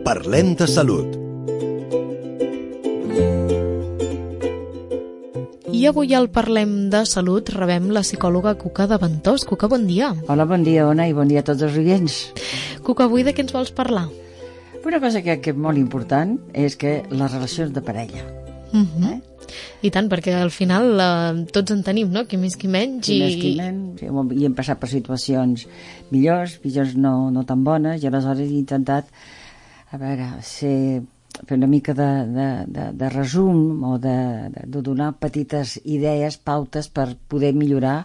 Parlem de salut. I avui al Parlem de Salut rebem la psicòloga Cuca de Ventós. Cuca, bon dia. Hola, bon dia, Ona, i bon dia a tots els oients. Cuca, avui de què ens vols parlar? Una cosa que és molt important és que les relacions de parella. I tant, perquè al final tots en tenim, no? Qui més, qui menys. Qui més, qui menys. I hem passat per situacions millors no tan bones, i aleshores he intentat fer una mica de resum o de donar petites idees, pautes per poder millorar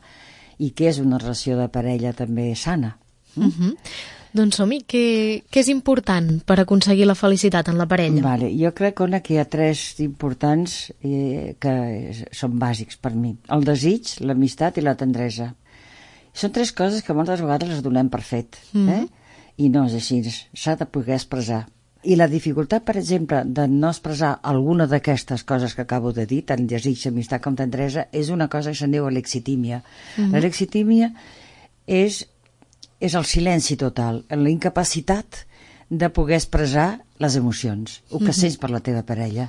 i què és una relació de parella també sana. Doncs som-hi, què és important per aconseguir la felicitat en la parella? Vale, jo crec que hi ha tres importants que són bàsics per mi. El desig, l'amistat i la tendresa. Són tres coses que moltes vegades les donem per fet. I no és així, s'ha de poder expressar. I la dificultat, per exemple, de no expressar alguna d'aquestes coses que acabo de dir, tant desig, amistat com tendresa, és una cosa que se'n diu alexitímia. L'alexitímia és el silenci total, la incapacitat de poder expressar les emocions, el que sents per la teva parella.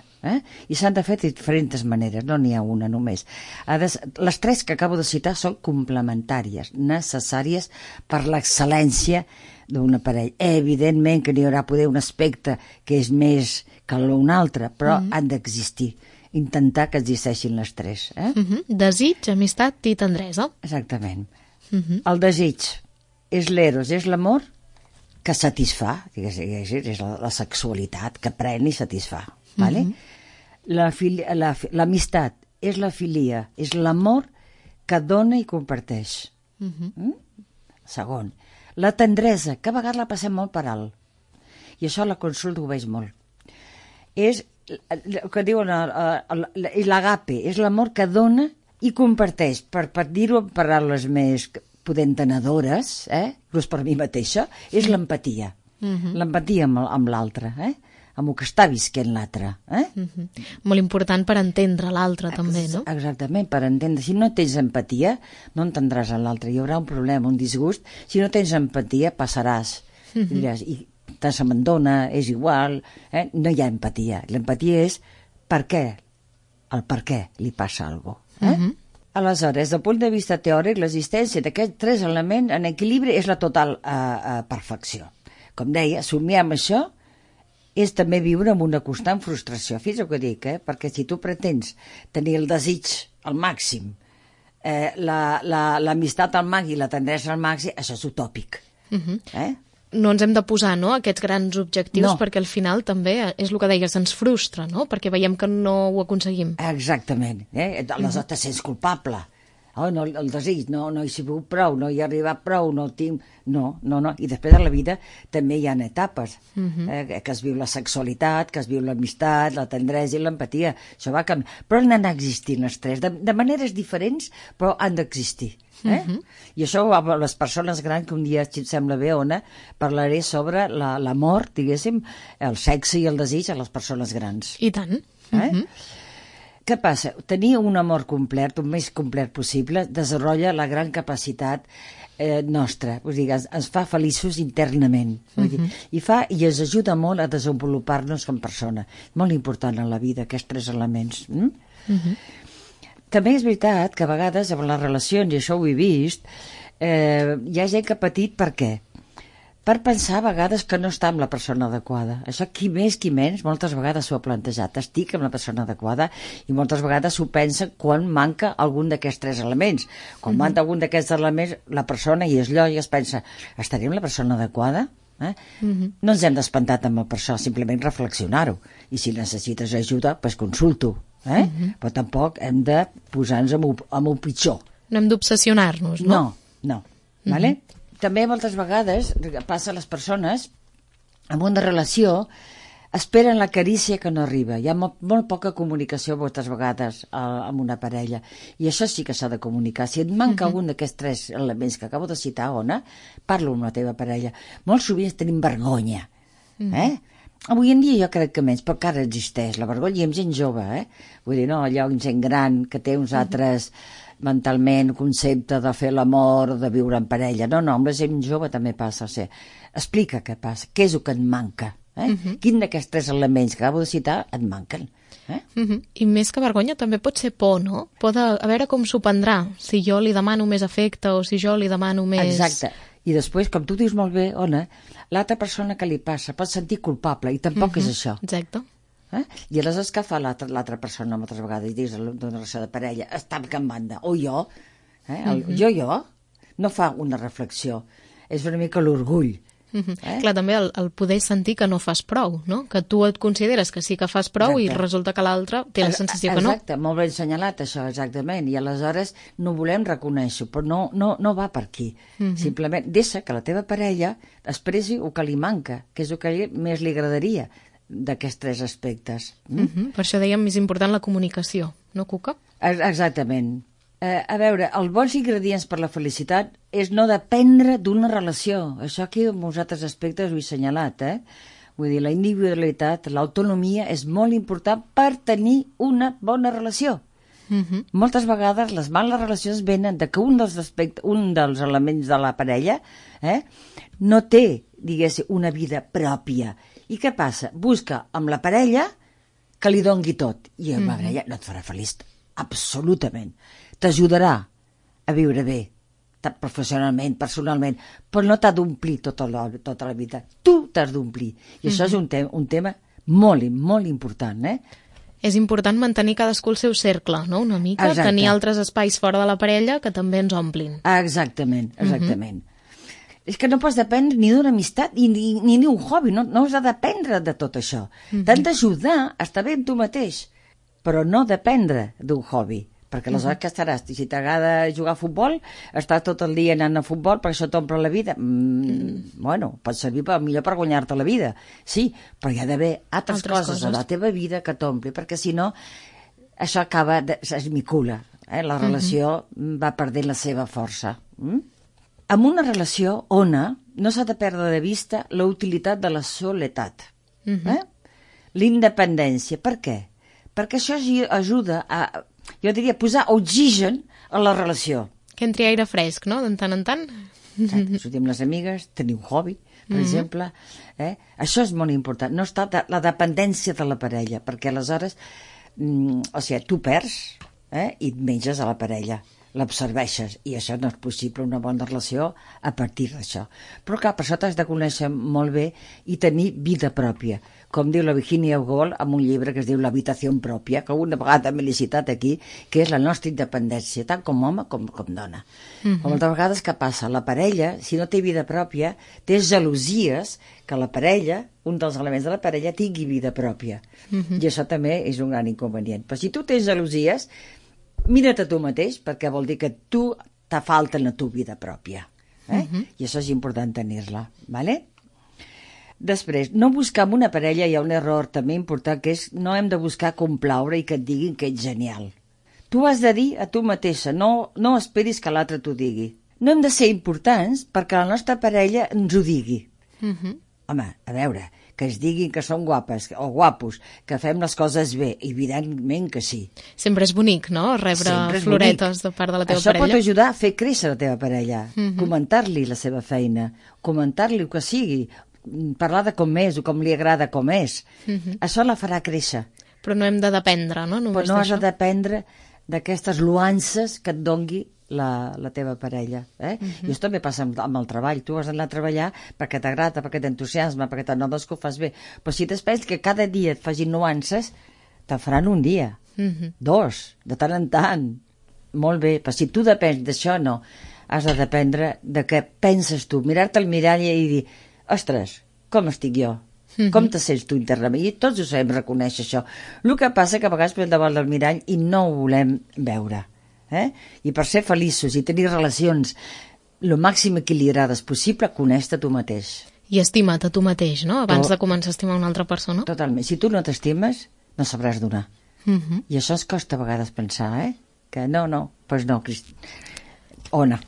I s'han de fer de diferents maneres, no n'hi ha una només. Les tres que acabo de citar són complementàries, necessàries per l'excel·lència d'una parella. Evidentment que n'hi haurà poder un aspecte que és més que un altre, però han d'existir. Intentar que existeixin les tres. Desig, amistat i tendresa. Exactament. El desig és l'eros, és l'amor que satisfà, és la sexualitat que pren i satisfà. L'amistat és la filia, és l'amor que dona i comparteix. Segon, la tendresa, que a vegades la passem molt per alt, i això la consulta ho veig molt, és el que diuen l'agape, és l'amor que dona i comparteix, per dir-ho en paraules més entenedores, inclús per mi mateixa, és l'empatia. L'empatia amb l'altre, amb el que està visquent l'altre. Molt important per entendre l'altre també, no? Exactament, per entendre. Si no tens empatia, no entendràs l'altre. Hi haurà un problema, un disgust. Si no tens empatia, passaràs. Diràs, i s'abandona, és igual. No hi ha empatia. L'empatia és per què. El per què li passa alguna cosa. Aleshores, des del punt de vista teòric, l'existència d'aquests tres elements en equilibri és la total perfecció. Com deia, somiar amb això és també viure amb una constant frustració. Fins el que dic, perquè si tu pretens tenir el desig al màxim, l'amistat al màxim i la tendresa al màxim, això és utòpic. No ens hem de posar, no?, aquests grans objectius, perquè al final també és el que deies, ens frustra, no?, perquè veiem que no ho aconseguim. Exactament. Aleshores te sents culpable. El desig, no hi he sigut prou, no hi he arribat prou, no tinc... No. I després de la vida també hi ha etapes, que es viu la sexualitat, que es viu l'amistat, la tendresa i l'empatia. Això va canviar. Però han d'anar existint les tres, de maneres diferents, però han d'existir. I això a les persones grans, que un dia, si et sembla bé, Ona, parlaré sobre l'amor, diguéssim, el sexe i el desig a les persones grans. I tant. Què passa? Tenir un amor complet, el més complet possible, desenvolupa la gran capacitat nostra, ens fa feliços internament, i ens ajuda molt a desenvolupar-nos com persona. Molt important en la vida, aquests tres elements. També és veritat que a vegades amb les relacions, i això ho he vist, hi ha gent que ha patit per què? Per pensar a vegades que no està amb la persona adequada. Això qui més qui menys moltes vegades s'ho ha plantejat. Estic amb la persona adequada, i moltes vegades s'ho pensa quan manca algun d'aquests tres elements. Quan manca algun d'aquests elements, la persona, i és lògic, es pensa, estaré amb la persona adequada? No ens hem d'espantar amb per això, simplement reflexionar-ho. I si necessites ajuda, doncs consulto. Però tampoc hem de posar-nos amb el pitjor. No hem d'obsessionar-nos, no? No. També moltes vegades passa a les persones en una relació, esperen la carícia que no arriba. Hi ha molt poca comunicació moltes vegades amb una parella, i això sí que s'ha de comunicar. Si et manca algun d'aquests tres elements que acabo de citar, Ona, parlo amb la teva parella. Molt sovint tenim vergonya. Avui en dia jo crec que menys, però encara existeix la vergonya, i amb gent jove, vull dir, no allò amb gent gran que té uns altres mentalment concepte de fer l'amor, de viure en parella. No, amb la gent jove també passa. Explica què passa, què és el que et manca. Quin d'aquests 3 elements que acabo de citar et manquen? I més que vergonya també pot ser por, no? Por de a veure com s'ho prendrà, si jo li demano més afecte o si jo li demano més... Exacte. I després, com tu dius molt bé, Ona, l'altra persona que li passa pot sentir culpable i tampoc és això. Exacte. I aleshores què fa l'altra persona moltes vegades? I dius d'una relació de parella, està en banda, o jo, jo, no fa una reflexió. És una mica l'orgull. Clar, també el poder sentir que no fas prou, no? Que tu et consideres que sí que fas prou i resulta que l'altre té la sensació que no. Exacte, molt ben assenyalat això, exactament. I aleshores no volem reconèixer, però no va per aquí. Simplement deixa que la teva parella expressi el que li manca, que és el que més li agradaria d'aquests 3 aspectes. Per això dèiem més important la comunicació, no, Cuca? Exactament. A veure, els bons ingredients per la felicitat és no dependre d'una relació. Això aquí en molts altres aspectes ho he assenyalat, Vull dir, la individualitat, l'autonomia és molt important per tenir una bona relació. Moltes vegades les males relacions venen de que un dels elements de la parella no té, diguéssim, una vida pròpia. I què passa? Busca amb la parella que li dongui tot. I amb la parella no et farà feliç, absolutament. T'ajudarà a viure bé, professionalment, personalment, però no t'ha d'omplir tota la vida. Tu t'has d'omplir. I això és un tema molt, molt important, És important mantenir cadascú el seu cercle, no? Una mica, tenir altres espais fora de la parella que també ens omplin. Exactament. És que no pots dependre ni d'una amistat ni d'un hobby, no has de dependre de tot això. T'han d'ajudar a estar bé amb tu mateix, però no dependre d'un hobby. Perquè aleshores què estaràs? Si t'agrada jugar a futbol, estàs tot el dia anant a futbol perquè això t'omple la vida. Bueno, pot servir millor per guanyar-te la vida, sí, però hi ha d'haver altres coses a la teva vida que t'ompli, perquè si no, això acaba, es micula, la relació va perdent la seva força. En una relació, Ona, no s'ha de perdre de vista la utilitat de la soledat. L'independència. Per què? Perquè això ajuda a, jo diria, posar oxigen a la relació. Que entri aire fresc, no?, de tant en tant. Sortir amb les amigues, tenir un hobby, per exemple. Això és molt important. No està la dependència de la parella, perquè aleshores, tu perds i et menges a la parella, l'absorbeixes, i això no és possible, una bona relació a partir d'això. Però clar, per això t'has de conèixer molt bé i tenir vida pròpia. Com diu la Virginia Woolf en un llibre que es diu L'habitació pròpia, que una vegada m'he citat aquí, que és la nostra independència, tant com home com dona. Moltes vegades què passa? La parella, si no té vida pròpia, té gelosies que la parella, un dels elements de la parella, tingui vida pròpia. I això també és un gran inconvenient. Però si tu tens gelosies, mira't a tu mateix, perquè vol dir que tu te falta la tu vida pròpia. I això és important tenir-la, ¿vale? Després, no buscar amb una parella, hi ha un error també important, que és no hem de buscar complaure i que et diguin que ets genial. Tu has de dir a tu mateixa, no esperis que l'altre t'ho digui. No hem de ser importants perquè la nostra parella ens ho digui. Home, a veure, que ens diguin que són guapes o guapos, que fem les coses bé, evidentment que sí. Sempre és bonic, no?, rebre floretes de part de la teva parella. Això pot ajudar a fer créixer la teva parella, comentar-li la seva feina, comentar-li el que sigui, parlar de com és o com li agrada com és. Això la farà créixer. Però no hem de dependre, no? Però no has de dependre d'aquestes loances que et dongui la teva parella. I això també passa amb el treball. Tu has d'anar a treballar perquè t'agrada, perquè t'entusiasma, perquè t'anoves que ho fas bé. Però si t'espers que cada dia et facin nuances, te faran un dia, 2, de tant en tant. Molt bé, però si tu depens d'això, no. Has de dependre de què penses tu. Mirar-te al mirall i dir, ostres, com estic jo? Com te sents tu internament? I tots ho sabem reconèixer, això. El que passa que a vegades posem davant del mirall i no ho volem veure. I per ser feliços i tenir relacions el màxim equilibrades possible, coneix-te tu mateix. I estima't a tu mateix, no?, abans de començar a estimar una altra persona. Totalment. Si tu no t'estimes, no sabràs donar. I això ens costa a vegades pensar, que no, doncs no, Ona.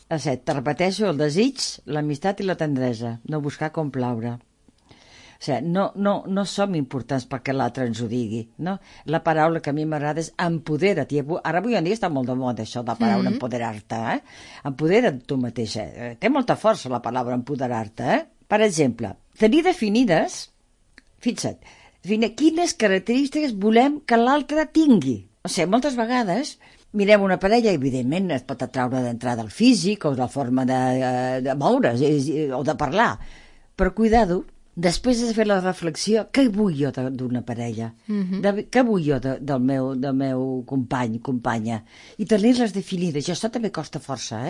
A 7, te repeteixo, el desig, l'amistat i la tendresa, no buscar complaure. O sigui, no som importants perquè l'altre ens ho digui, no? La paraula que a mi m'agrada és empodera't. Ara avui en dia està molt de moda això de la paraula empoderar-te, Empodera't tu mateixa. Té molta força la paraula empoderar-te, Per exemple, tenir definides, fixa't, quines característiques volem que l'altre tingui. O sigui, moltes vegades mirem una parella, evidentment es pot atraure d'entrada el físic o la forma de moure's o de parlar, però cuidado, després de fer la reflexió, què vull jo d'una parella? Què vull jo del meu company, companya? I tenir-les definides, i això també costa força,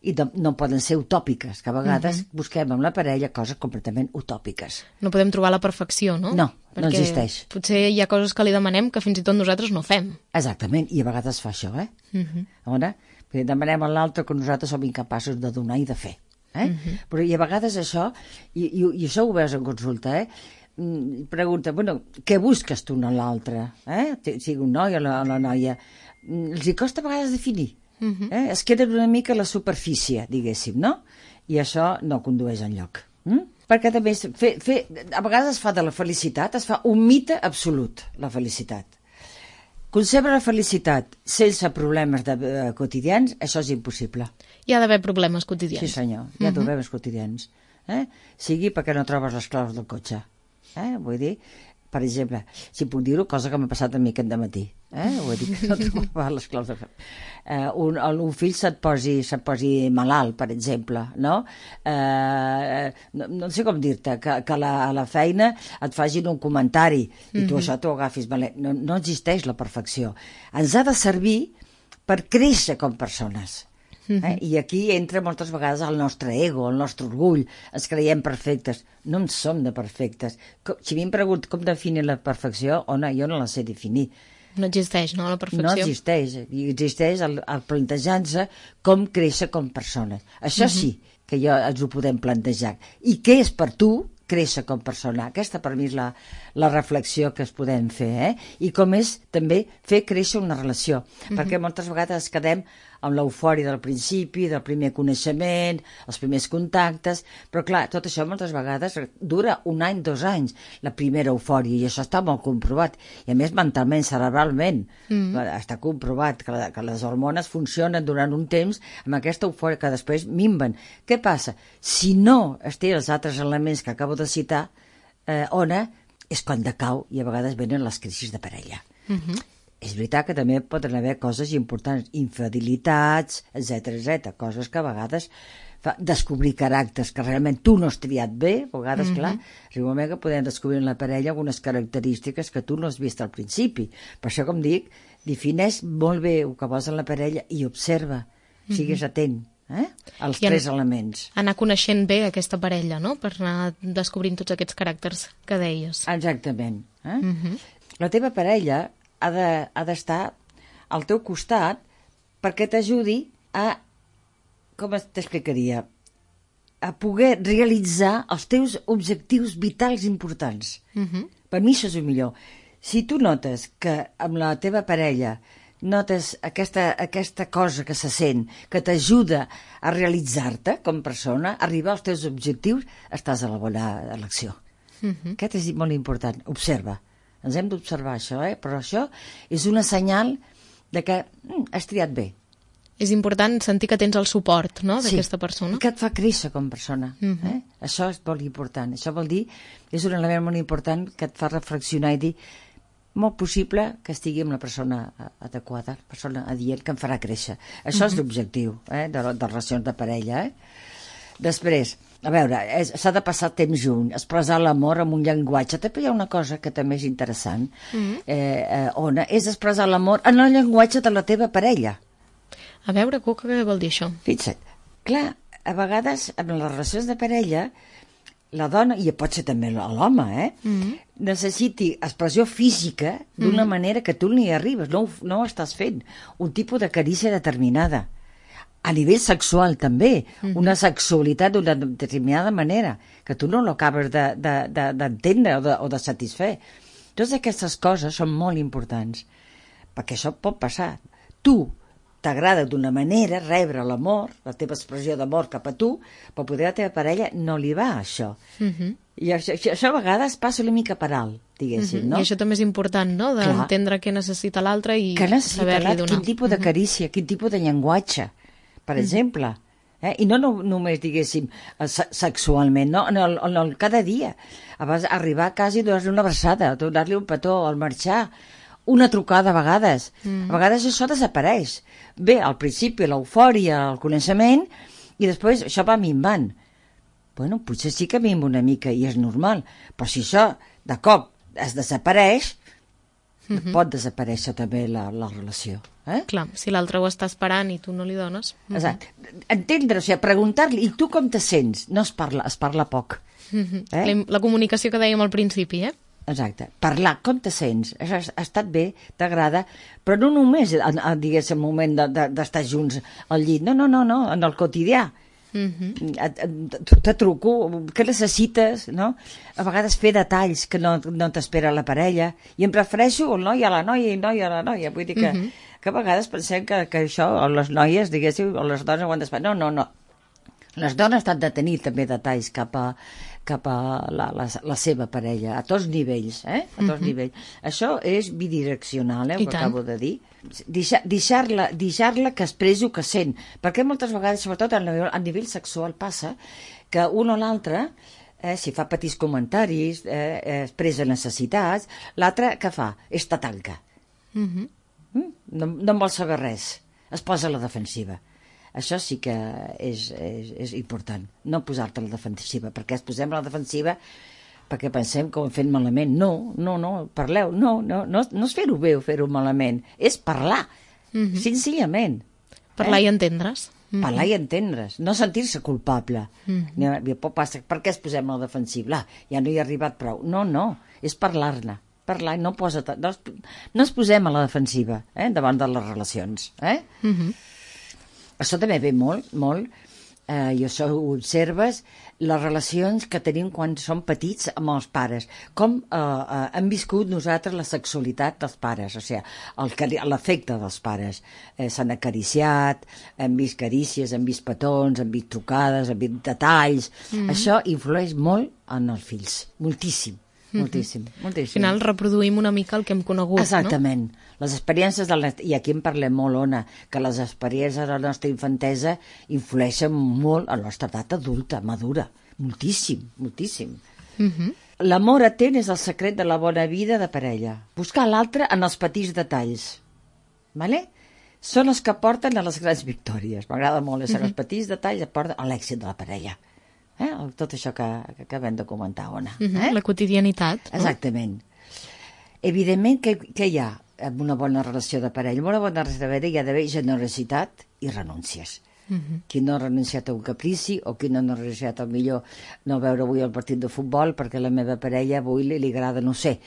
I no poden ser utòpiques, que a vegades busquem en la parella coses completament utòpiques. No podem trobar la perfecció, no? No, no existeix. Potser hi ha coses que li demanem que fins i tot nosaltres no fem. Exactament, i a vegades fa això, Perquè demanem a l'altre que nosaltres som incapaços de donar i de fer. Però i a vegades això, i això ho veus en consulta, pregunta, què busques tu en l'altre? Sigui un noi o la noia. Els hi costa a vegades definir. Es queden una mica a la superfície, diguéssim, no? I això no condueix enlloc. Perquè també a vegades es fa de la felicitat, es fa un mite absolut, la felicitat. Concebre la felicitat sense problemes quotidians, això és impossible. Hi ha d'haver problemes quotidians. Sí, senyor, hi ha problemes quotidians. Sigui perquè no trobes les claus del cotxe. Vull dir, per exemple, si puc dir-ho, cosa que m'ha passat a mi aquest dematí. Vull dir que no trobava les claus del cotxe. Un fill se't posi malalt, per exemple, no? No sé com dir-te, que a la feina et facin un comentari i tu això t'ho agafis malament. No existeix la perfecció. Ens ha de servir per créixer com persones. I aquí entra moltes vegades el nostre ego, el nostre orgull. Ens creiem perfectes. No en som de perfectes. Si a mi em pregunten com definir la perfecció, jo no la sé definir. No existeix, no, la perfecció? No existeix. Existeix el plantejar-se com créixer com persones. Això sí que ens ho podem plantejar. I què és per tu créixer com persona? Aquesta per mi és la reflexió que es podem fer, I com és també fer créixer una relació, perquè moltes vegades quedem amb l'eufòria del principi, del primer coneixement, els primers contactes, però clar, tot això moltes vegades dura 1 any, 2 anys, la primera eufòria, i això està molt comprovat, i a més mentalment, cerebralment, està comprovat que les hormones funcionen durant un temps amb aquesta eufòria que després minven. Què passa? Si no es té els altres elements que acabo de citar, és quan decau i a vegades venen les crisis de parella. És veritat que també poden haver coses importants, infidelitats, etc, coses que a vegades descobrir caràcters que realment tu no has triat bé, a vegades, clar, arriba un moment que podem descobrir en la parella algunes característiques que tu no has vist al principi. Per això, com dic, defineix molt bé el que vols en la parella i observa, sigues atent als 3 elements. Anar coneixent bé aquesta parella, no?, per anar descobrint tots aquests caràcters que deies. Exactament. La teva parella ha d'estar al teu costat perquè t'ajudi a, com t'explicaria, a poder realitzar els teus objectius vitals importants. Per mi això és el millor. Si tu notes que amb la teva parella notes aquesta cosa que se sent, que t'ajuda a realitzar-te com persona, arribar als teus objectius, estàs a la bona elecció. Aquest és molt important. Observa. Ens hem d'observar això, però això és una senyal de que has triat bé. És important sentir que tens el suport, no?, d'aquesta persona. Sí, que et fa créixer com a persona. Això és molt important. Això vol dir, és un element molt important que et fa reflexionar i dir, molt possible que estigui amb la persona adequada, la persona adient, que em farà créixer. Això és l'objectiu de relacions de parella. Després, a veure, s'ha de passar temps junt, expressar l'amor amb un llenguatge. També hi ha una cosa que també és interessant, Ona, és expressar l'amor en el llenguatge de la teva parella. A veure, Cuca, què vol dir això? Fixa't, clar, a vegades en les relacions de parella la dona, i pot ser també l'home, necessiti expressió física d'una manera que tu no hi arribes, no ho estàs fent, un tipus de carícia determinada. A nivell sexual també, una sexualitat d'una determinada manera, que tu no l'acabes d'entendre o de satisfer. Totes aquestes coses són molt importants, perquè això pot passar. Tu t'agrada d'una manera rebre l'amor, la teva expressió d'amor cap a tu, però poder a la teva parella no li va això. I això a vegades passa una mica per alt, diguéssim, no? I això també és important, no?, d'entendre què necessita l'altre i saber-li donar. Quin tipus de carícia, quin tipus de llenguatge. Per exemple, I no només, diguéssim, sexualment, no? En el cada dia. Abans arribar a casa i donar-li una abraçada, donar-li un petó al marxar, una trucada a vegades. A vegades això desapareix. Bé, al principi l'eufòria, el coneixement, i després això va minvant. Bueno, potser sí que minva una mica i és normal, però si això de cop es desapareix, pot desaparèixer també la relació. Clar, si l'altre ho està esperant i tu no li dones. Exacte. Entendre, o sigui, preguntar-li, i tu com te sents? No es parla poc. La comunicació que dèiem al principi, Exacte. Parlar, com te sents? Ha estat bé, t'agrada, però no només, diguéssim, el moment d'estar junts al llit. No, en el quotidià. Te truco, què necessites, no? A vegades fer detalls que no t'espera la parella, i em prefereixo el noi a la noia i noia a la noia. Vull dir que a vegades pensem que això, o les noies, diguéssim, o les dones ho han d'esperar. No. Les dones han de tenir també detalls cap a la seva parella, a tots nivells, a tots nivells. Això és bidireccional, ho acabo de dir. Deixar-la que expressi el que sent, perquè moltes vegades, sobretot a nivell sexual, passa que un o l'altre, si fa petits comentaris, expressa necessitats, l'altre què fa? Te tanca. No en vol saber res, es posa a la defensiva. Això sí que és important, no posar-te a la defensiva, perquè es posem a la defensiva perquè pensem que ho hem fet malament. No, parleu, no és fer-ho bé o fer-ho malament, és parlar, senzillament. Parlar i entendre's. Parlar i entendre's, no sentir-se culpable. Per què es posem a la defensiva? Ja no hi ha arribat prou. No, és parlar-ne. Parlar, no es posem a la defensiva davant de les relacions. Això també ve molt, i això ho observes, les relacions que tenim quan som petits amb els pares, com hem viscut nosaltres la sexualitat dels pares, o sigui, l'afecte dels pares. S'han acariciat, hem vist carícies, hem vist petons, hem vist trucades, hem vist detalls. Això influeix molt en els fills, moltíssim. Moltíssim. Al final reproduïm una mica el que hem conegut. Exactament. Les experiències, i aquí en parlem molt, Ona, que les experiències de la nostra infantesa influeixen molt a la nostra edat adulta, madura. Moltíssim. L'amor atent és el secret de la bona vida de parella. Buscar l'altre en els petits detalls. Vale? Són els que porten a les grans victòries. M'agrada molt, els petits detalls porten a l'èxit de la parella. Tot això que acabem de comentar, Ona. La quotidianitat. Exactament. Evidentment que hi ha una bona relació de parella. Una bona relació de parella hi ha d'haver generositat i renúncies. Qui no ha renunciat a un caprici o qui no ha renunciat al millor no veure avui el partit de futbol perquè la meva parella avui li agrada, no sé,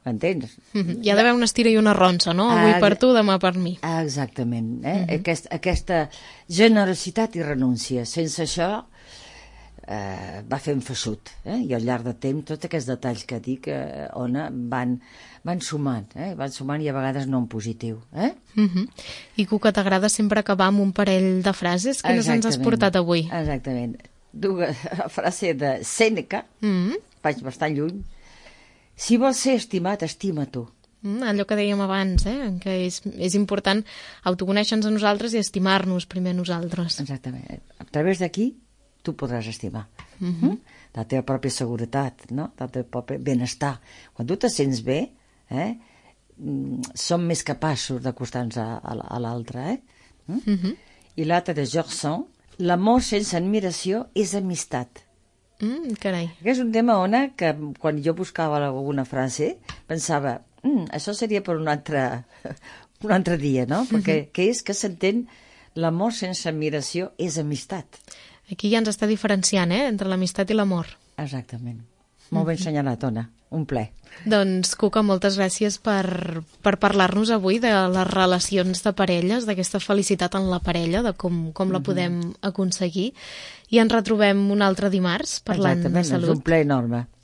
m'entens? Hi ha d'haver una estira i una ronsa, no? Avui per tu, demà per mi. Exactament. Aquesta generositat i renúncia. Sense això va fent feixut, i al llarg de temps tots aquests detalls que dic, Ona, van sumant, i a vegades no en positiu. I tu, que t'agrada sempre acabar amb un parell de frases, quines ens has portat avui? Exactament. La frase de Sèneca, vaig bastant lluny: si vols ser estimat, estima tu. Allò que dèiem abans, que és important autoconèixer-nos a nosaltres i estimar-nos primer nosaltres. Exactament. A través d'aquí tu podràs estimar. La teva pròpia seguretat, no? El teu propi benestar. Quan tu te sents bé, som més capaços d'acostar-nos a l'altre. I l'altre de Georgson: l'amor sense admiració és amistat. Carai. És un tema, Ona, que quan jo buscava alguna frase pensava, això seria per un altre dia, no? Perquè què és que s'entén l'amor sense admiració és amistat. Aquí ja ens està diferenciant, entre l'amistat i l'amor. Exactament. Molt ben assenyalat, Ona. Un ple. Doncs, Cuca, moltes gràcies per parlar-nos avui de les relacions de parelles, d'aquesta felicitat en la parella, de com la podem aconseguir. I ens retrobem un altre dimarts parlant de salut. És un ple enorme.